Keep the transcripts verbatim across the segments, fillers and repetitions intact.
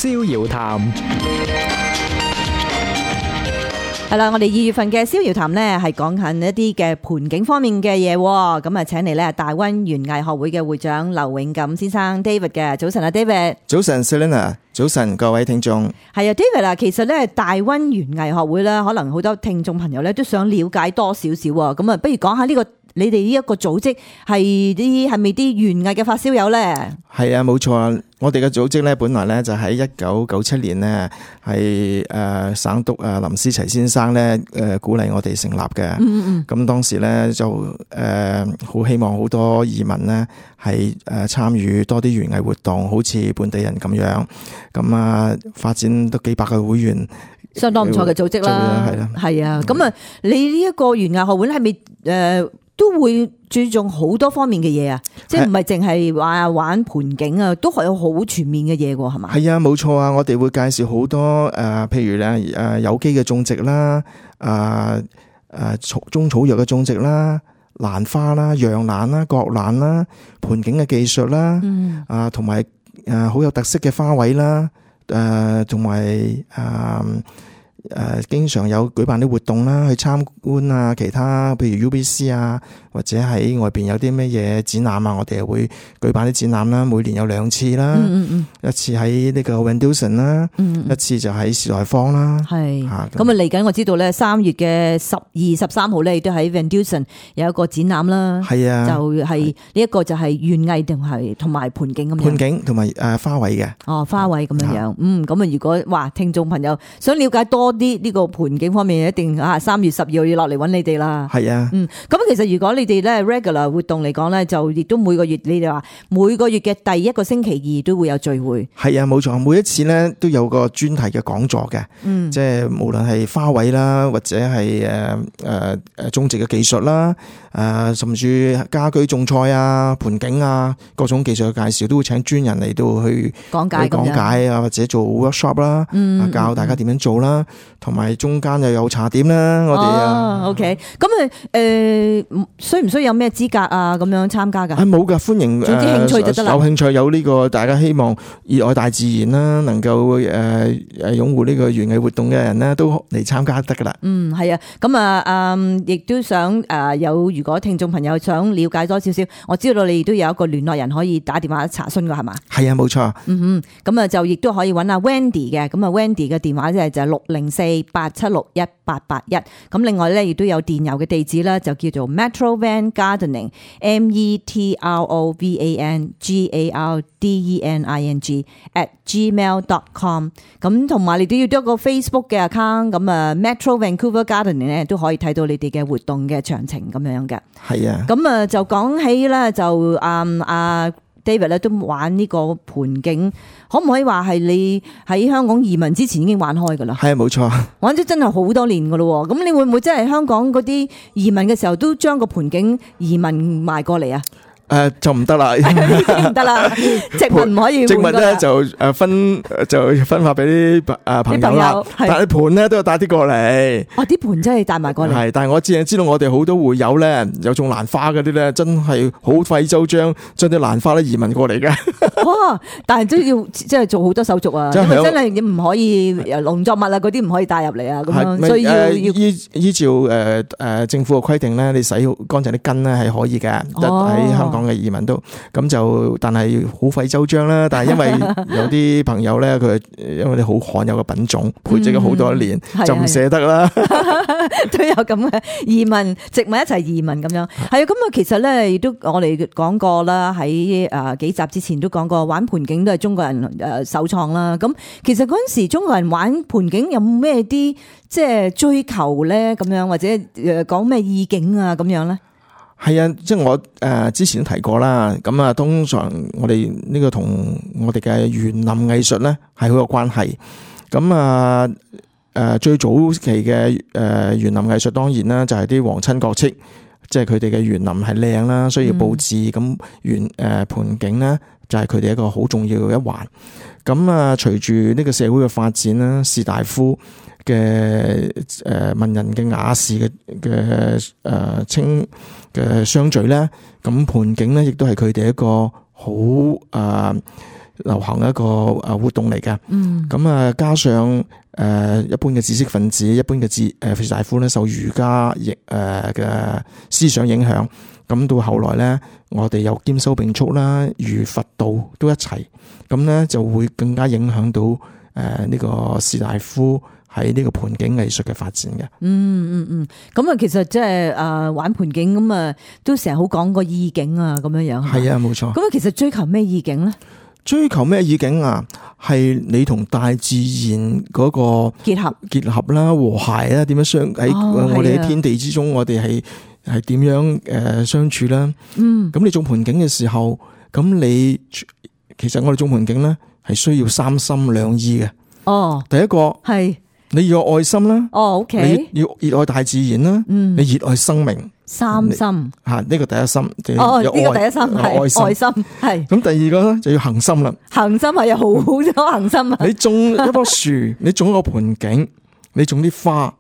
逍遙談。係啦，我哋二月份嘅逍遙談呢係講緊一啲嘅盤景方面嘅嘢，咁啊請嚟咧大溫園藝學會嘅會長劉永錦先生 David 嘅。早晨啊 David。早晨 Selena， 早晨各位聽眾。係啊 David 啊，其實咧大溫園藝學會咧，可能好多聽眾朋友咧都想了解多少少啊，咁啊不如講下呢個你哋呢一個組織係啲係咪啲園藝嘅發燒友咧？係啊，冇錯啊！我哋嘅組織咧，本來咧就喺一九九七年呢，係誒省督啊林思齊先生咧誒鼓勵我哋成立嘅。嗯嗯。咁當時咧就誒好希望好多移民呢係誒參與多啲園藝活動，好似本地人咁樣。咁啊發展都幾百個會員，相當唔錯嘅組織啦。係啦，係啊。咁啊，你呢一個園藝學會咧係咪誒都會注重好多方面嘅嘢啊？即係唔係淨係話玩盆景啊，都係有好全面嘅嘢喎，係嘛？係啊，冇錯啊！我哋會介紹好多誒、呃，譬如咧誒有機嘅種植啦，誒誒草中草藥嘅種植啦，蘭花啦、洋蘭啦、角蘭啦，盆景嘅技術啦，嗯、啊同埋誒好有特色嘅花卉啦，誒同埋誒。誒、呃，經常有舉辦啲活動啦，去參觀啊，其他譬如 U B C 啊，或者喺外邊有啲咩嘢展覽啊，我哋又會舉辦啲展覽啦，每年有兩次啦，嗯嗯嗯，一次喺呢個 Wendelson 啦，嗯嗯，一次就喺時代坊啦，係，咁啊嚟緊我知道咧，三月嘅十二十三號咧，亦都喺 Wendelson 有一個展覽啦，係啊，就係呢一個就係園藝定係同埋盆景咁樣，盆景同埋誒花卉嘅，哦花卉咁樣樣，嗯，咁啊如果話聽眾朋友想了解多啲呢個盆景方面，一定啊三月十二號要落嚟揾你哋啦。係啊，嗯，咁其實如果你哋咧 regular 活動嚟講咧，就亦都每個月你哋話每個月嘅第一個星期二都會有聚會。係啊，冇錯，每一次咧都有個專題嘅講座嘅，嗯，即係無論係花卉啦，或者係誒誒誒種植嘅技術啦，誒、呃、甚至家居種菜啊、盆景啊各種技術嘅介紹，都會請專人嚟到去講解講解啊，或者做 workshop 啦，嗯，教大家點樣做啦。同埋中間又有茶點啦，我哋啊 ，OK， 咁啊，誒，需唔需要有咩資格啊？咁樣參加噶？係冇噶，歡迎，總之興趣就得啦。有興趣有呢個，大家希望熱愛大自然啦，能夠誒誒擁護呢個園藝活動嘅人咧，都嚟參加得噶啦。嗯，係啊，咁啊，嗯，亦都想誒有，如果聽眾朋友想了解多少少，我知道你亦都有一個聯絡人可以打電話查詢噶，係嘛？係啊，冇錯。嗯哼，咁啊就亦都可以揾阿 Wendy 嘅，咁啊 Wendy 嘅電話就係就係六零四八七六一八八一，咁另外咧亦都有電郵嘅地址啦，就叫做 Metrovan Gardening M E T R O V A N G A R D E N I N G at gmail dot com， 咁同埋你都要多一個 Facebook 嘅 account， 咁啊 Metro Vancouver Gardening 咧都可以睇到你哋嘅活動嘅詳情咁樣嘅。係啊，咁啊就講起咧就啊啊 David 咧都玩呢個盆景，可唔可以話係你喺香港移民之前已經玩開噶啦？係啊，冇錯，玩咗真係好多年噶咯。咁你會唔會真係香港嗰啲移民嘅時候都將個盆景移民埋過嚟啊？誒、呃，就唔得啦，唔得啦，植物唔可以換。植物咧就誒分就分發俾啲誒朋友啦，但係盆咧都要帶啲過嚟。哦，啲盆真係帶埋過嚟。係，但係我只係知道我哋好多會友咧，有種蘭花嗰啲咧，真係好費周章，將啲蘭花咧移民過嚟嘅。哇！但係都要即係做好多手續啊，因為真係唔可以農作物啊嗰啲唔可以帶入嚟啊，咁樣所以要要依依照誒誒政府嘅規定咧，你洗乾淨啲根咧係可以嘅，喺香港嘅移民都咁就，但係好費周章啦。但係因為有啲朋友咧，佢因為你好罕有嘅品種，培植咗好多年，嗯、就唔捨得啦。都有咁嘅移民植物一齊移民咁樣。係啊，咁啊，其實咧亦都我哋講過啦，喺誒幾集之前都講過，玩盆景都係中國人誒首創啦。咁其實嗰陣時中國人玩盆景有咩啲即係追求咧？咁樣或者誒講咩意境啊？咁樣咧？係啊，即係我誒之前都提過啦。咁啊，通常我哋呢個同我哋嘅園林藝術咧係好有關係。咁啊誒最早期嘅誒園林藝術當然啦，就係啲皇親國戚，即係佢哋嘅園林係靚啦，需要佈置。咁園誒盆景咧就係佢哋一個好重要嘅一環。咁啊，隨住呢個社會嘅發展啦，士大夫嘅誒文人嘅雅士嘅嘅誒清嘅相聚咧，咁盆景咧亦都係佢哋一個好誒流行一個誒活動嚟嘅。嗯，咁啊加上誒一般嘅知識分子、一般嘅知誒士大夫咧，受儒家亦誒嘅思想影響，咁到後來咧，我哋又兼收並蓄啦，儒佛道都一齊，咁咧就會更加影響到誒呢個士大夫喺呢個盆景藝術嘅發展嘅。嗯嗯嗯，咁啊，其實即係誒玩盆景咁啊，都成日好講個意境啊，咁樣樣。係啊，冇錯。咁啊，其實追求咩意境咧？追求咩意境啊？係你同大自然嗰個結合結合啦，和諧啦，點樣相喺我哋喺天地之中，我哋係係點樣誒相處啦？嗯，咁你種盆景嘅時候，咁你其實我哋種盆景咧係需要三心兩意嘅。哦，第一個係你要有愛心啦。哦 ，OK，你要熱愛大自然啦。嗯，你熱愛生命。三心吓，呢個第一心。哦，呢個第一心係愛心，愛心係。咁第二個咧就要恒心啦。恒心係有好多恒心啊！你種一棵樹，你種一個盆景，你種啲花，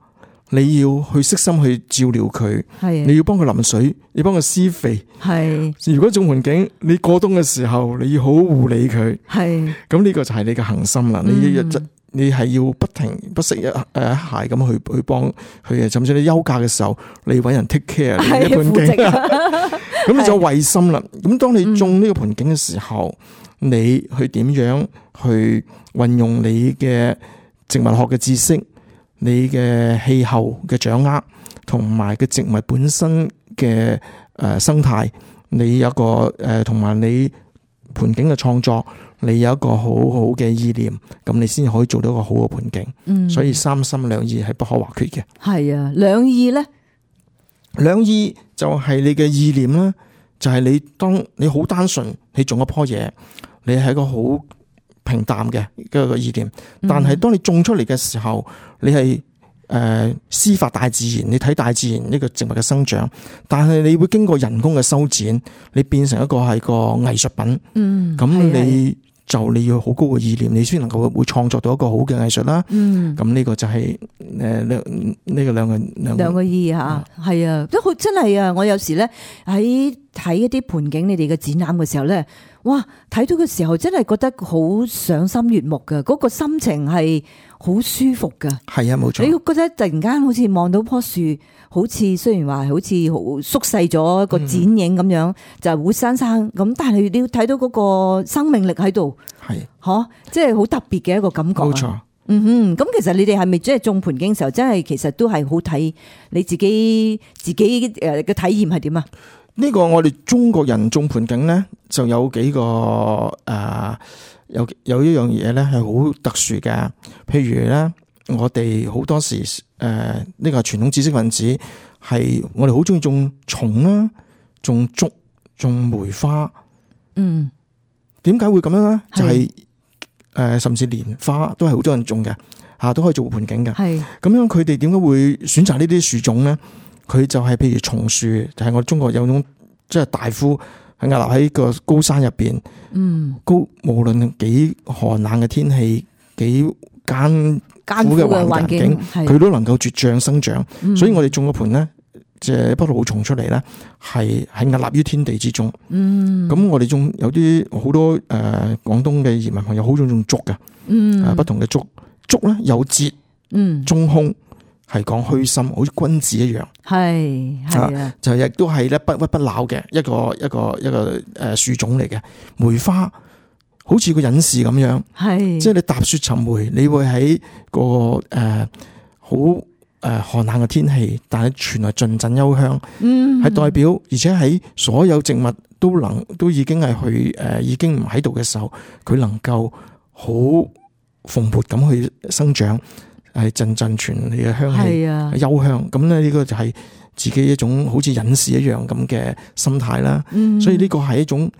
你要去悉心去照料佢，係你要幫佢淋水，你幫佢施肥，係。如果種盆景，你過冬嘅時候，你要好好護理佢，係。咁呢個就係你嘅恒心啦。你一日你係要不停不息一誒一鞋咁去去幫佢嘅，甚至你休假嘅時候，你搵人 take care 呢一盆景，咁你就衛心啦。咁當你種呢個盆景嘅時候，嗯、你去點樣去運用你嘅植物學嘅知識，你嘅氣候嘅掌握，同埋嘅植物本身嘅誒生態，你有一個誒同埋你盆景嘅創作。你有一個好好嘅意念，咁你先可以做到一個好嘅盆景。嗯，所以三心兩意係不可或缺嘅。係啊，兩意咧，兩意就係你嘅意念啦，就係、是、你當你好單純，你種一棵嘢，你係一個好平淡嘅一個意念。但係當你種出嚟嘅時候，你係誒師法大自然，你睇大自然呢個植物嘅生長，但係你會經過人工嘅修剪，你變成一個係個藝術品。嗯，咁你。就你要好高嘅意念，你先能夠會創作到一個好嘅藝術啦。嗯，咁呢個就係誒呢呢個兩個兩兩個意吓，係啊，都好真係啊！我有時咧喺睇一啲盆景，你哋嘅展覽嘅時候咧，哇，睇到嘅時候真係覺得好賞心悅目噶，嗰個心情係好舒服噶。係啊，冇錯。你覺得突然間好似望到棵樹，好似雖然話好似好縮細咗一個剪影咁樣，嗯、就活生生咁，但係你要睇到嗰個生命力喺度，係，嗬，即係好特別嘅一個感覺。冇錯。嗯哼，咁其實你哋係咪即係種盆景嘅時候，真係其實都係好睇你自己自己誒嘅體驗係點啊？呢個我哋中國人種盆景咧，就有幾個誒、呃，有有一樣嘢咧係好特殊嘅。譬如咧，我哋好多時誒，呢、呃這個傳統知識分子係我哋好中意種松啦，種竹，種梅花。嗯，點解會咁樣咧？就係、是、誒、呃，甚至蓮花都係好多人種嘅，吓都可以做盆景嘅。係咁樣，佢哋點解會選擇呢啲樹種咧？佢就係譬如松樹，就係、是、我中國有種即係大夫係屹立喺個高山入邊，嗯，高無論幾寒冷嘅天氣，幾艱苦嘅環境，佢都能夠茁壯生長。嗯、所以我哋種個盆咧，即係不老松出嚟咧，係係屹立於天地之中。嗯，咁我哋仲有啲好多誒廣、呃、東嘅移民朋友好中意種竹嘅，嗯、呃，不同嘅竹竹咧有節，嗯，中空。係講虛心，好似君子一樣，係係啊，就亦都係咧不屈不撓嘅一個一個一個誒樹種嚟嘅。梅花好似個隱士咁樣，係即係你踏雪尋梅，你會喺個誒好誒寒冷嘅天氣，但係傳來陣陣幽香，嗯，係代表，而且喺所有植物都能都已經係去誒已經唔喺度嘅時候，佢能夠好蓬勃咁去生長。係陣陣傳你嘅香氣，啊、幽香，咁咧呢個就係自己一種好似隱士一樣咁嘅心態啦。嗯、所以呢個係一種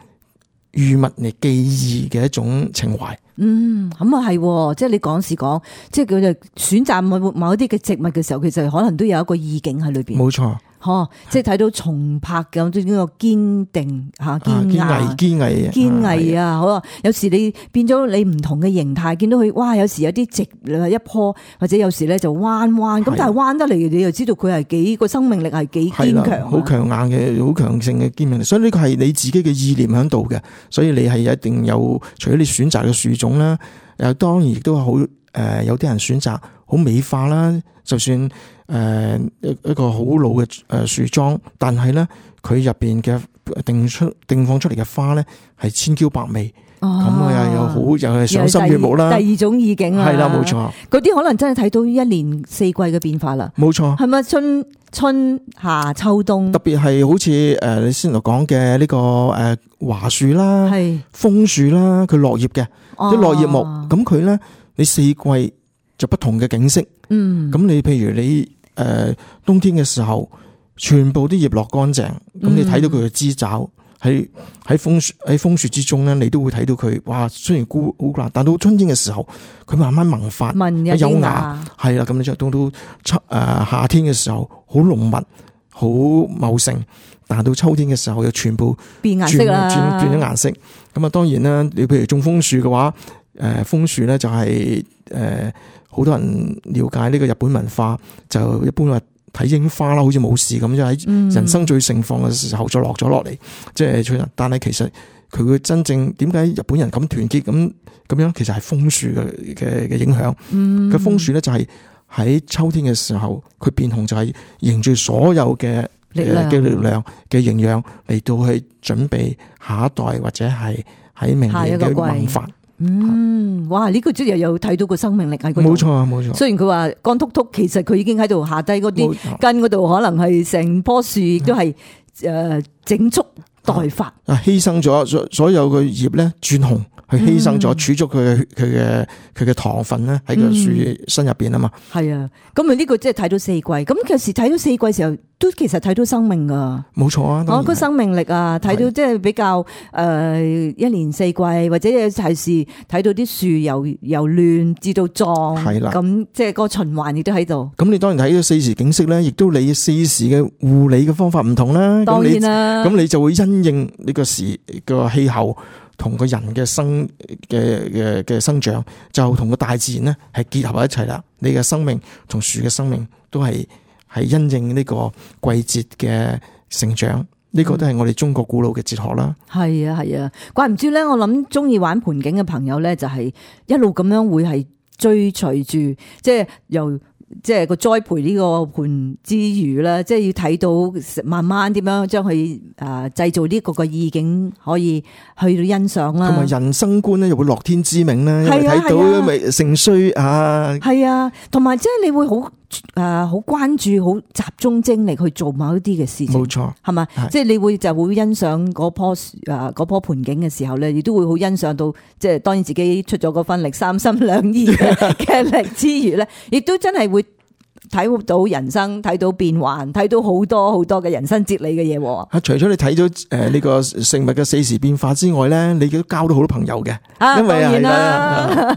寓物嚟記憶嘅一種情懷。嗯，咁啊係，即係你講時講，即係佢哋選擇某某一啲嘅植物嘅時候，其實可能都有一個意境喺裏邊。冇錯。嗬，即係睇到重拍咁呢個堅定吓、堅毅、堅毅、堅毅啊！好啊，有時你變咗你唔同嘅形態，見到佢哇，有時有啲直一棵，或者有時咧就彎彎咁，但係彎得嚟，你又知道佢係幾個生命力係幾堅強，好強硬嘅、好強盛嘅堅命力。所以呢個係你自己嘅意念喺度嘅，所以你係一定有，除咗你選擇嘅樹種啦，又當然亦都係好誒，有啲人選擇好美化啦，就算。誒一一個好老嘅誒樹樁，但係咧佢入邊嘅定出定放出嚟嘅花咧係千嬌百媚，咁啊又有好又係賞心悅目啦。第二種意境啊，係啦，冇錯。嗰啲可能真係睇到一年四季嘅變化啦。冇錯，係咪春春夏秋冬？特別係好似誒你先頭講嘅呢個誒華樹啦，係楓樹啦，佢落葉嘅啲落葉木，咁佢咧你四季就不同嘅景色。嗯，咁你譬如你。誒、呃，冬天嘅時候，全部啲葉落乾淨，咁、嗯、你睇到佢嘅枝爪喺喺楓樹喺楓樹之中咧，你都會睇到佢。哇，雖然孤好難，但到春天嘅時候，佢慢慢萌發，有芽，係啦。咁你就到到秋誒夏天嘅時候，好濃密，好茂盛。但係到秋天嘅時候，又全部變顏色啦，轉轉咗顏色。咁啊，當然啦，你譬如種楓樹嘅話，誒楓樹咧就係、是、誒。呃好多人了解呢個日本文化，就一般話睇櫻花啦，好似冇事咁，就喺人生最盛放嘅時候就落咗落嚟，即係吹。但係其實佢嘅真正點解日本人咁團結咁咁樣，其實係楓樹嘅嘅嘅影響。個、嗯、楓樹咧就係喺秋天嘅時候，佢變紅就係凝聚所有嘅嘅力量嘅營養嚟到去準備下一代或者係喺明年嘅萌發。嗯，哇！呢、這個即係又有睇到個生命力喺嗰度。冇錯啊，冇錯。雖然佢話乾禿禿，其實佢已經喺度下低嗰啲根嗰度，可能係成棵樹亦都係誒整簇待發。啊，犧牲咗所所有嘅葉咧轉紅，去犧牲咗儲足佢嘅佢嘅佢嘅糖分咧喺個樹身入邊啊嘛。係啊，咁啊呢個即係睇到四季。咁其實睇到四季嘅時候，都其實睇到生命噶。冇錯啊，我個生命力啊，睇到即係比較誒一年四季，或者係是睇到啲樹由由亂至到壯，係啦。咁即係個循環亦都喺度。咁你當然睇到四時景色咧，亦都你四時嘅護理嘅方法唔同啦。當然啦，咁你就會因應呢個時個氣候。同個人嘅生嘅嘅嘅生長，就同個大自然咧係結合喺一齊啦。你嘅生命同樹嘅生命都係係因應呢個季節嘅成長，呢、這個都係我哋中國古老嘅哲學啦。係啊係啊，怪唔知咧，我諗中意玩盆景嘅朋友咧，就係一路咁樣會係追隨住，即係由。即係個栽培呢個盆之餘啦，即係要睇到慢慢點樣將佢誒製造呢個個意境，可以去到欣賞啦。同埋人生觀咧，又會樂天知命啦，因為睇到咪盛衰啊。係啊，同埋即係你會好誒好關注、好集中精力去做某一啲嘅事情。冇錯，係咪？即係你會就會欣賞嗰棵誒嗰棵盆景嘅時候咧，亦都會好欣賞到，即係當然自己出咗嗰份力，三心兩意嘅力之餘咧，亦都真係會。睇到人生，睇到變幻，睇到好多好多嘅人生哲理嘅嘢。啊，除咗你睇咗誒呢個食物嘅四時變化之外咧，你都交到好多朋友嘅。啊，因為當然啦，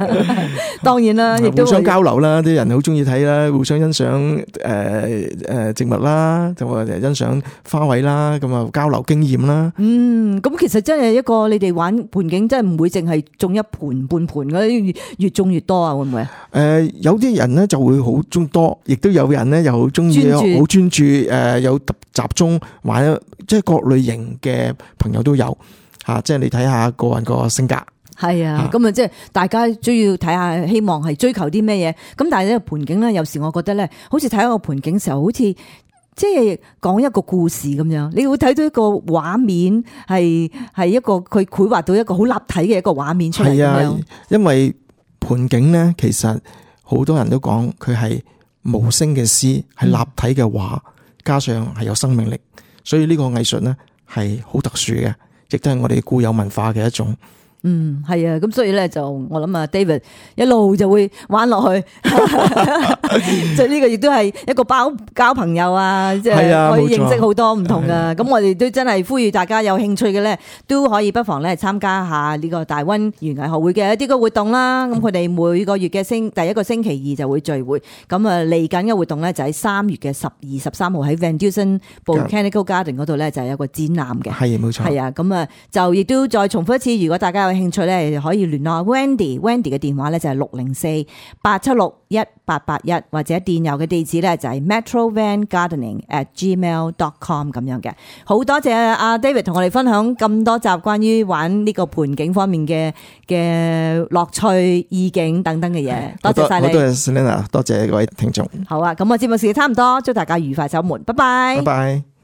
當然啦，亦都互相交流啦，啲人好中意睇啦，互相欣賞誒誒植物啦，就話欣賞花卉啦，咁啊交流經驗啦。嗯，咁其實真係一個你哋玩盆景，真係唔會淨係種一盆半盆嘅，越種越多啊，會唔會啊？誒，有啲人咧就會好種多，亦都有人咧又好中意好專注，誒有集中玩，即係各類型嘅朋友都有吓，即係你睇下個人個性格。係啊，咁啊即係大家都要睇下，希望係追求啲咩嘢。咁但係呢個盆景咧，有時我覺得咧，好似睇一個盆景嘅時候，好似即係講一個故事咁樣，你會睇到一個畫面，係係一個佢繪畫到一個好立體嘅一個畫面出嚟。係啊，因為盆景咧，其實好多人都講佢係無聲嘅詩，係立體嘅畫，加上係有生命力，所以呢個藝術咧係好特殊嘅，亦都係我哋固有文化嘅一種。嗯，係啊，咁所以咧就我諗啊 David 一路就會玩落去，即係呢個亦都係一個包交朋友啊，即係可以認識好多唔同噶。咁我哋都真係呼籲大家有興趣嘅咧，都可以不妨咧參加下呢個大溫園藝學會嘅一啲嘅活動啦。咁佢哋每個月嘅星第一個星期二就會聚會，咁啊嚟緊嘅活動咧就喺三月嘅十二、十三號喺 Van Dusen Botanical Garden 嗰度咧就係有個展覽嘅。係冇錯。係啊，咁啊就亦都再重複一次，如果大家有興趣咧，可以聯絡 Wendy，Wendy 嘅電話咧就係六零四八七六一八八一，或者電郵嘅地址咧就係 metrovangardening at gmail dot com 咁樣嘅。好多謝阿 David 同我哋分享咁多集關於玩呢個盆景方面嘅嘅樂趣、意境等等嘅嘢。多謝晒你，多謝 Selena，多謝各位聽眾。好啊，咁我節目時間差唔多，祝大家愉快週末，拜拜。拜拜。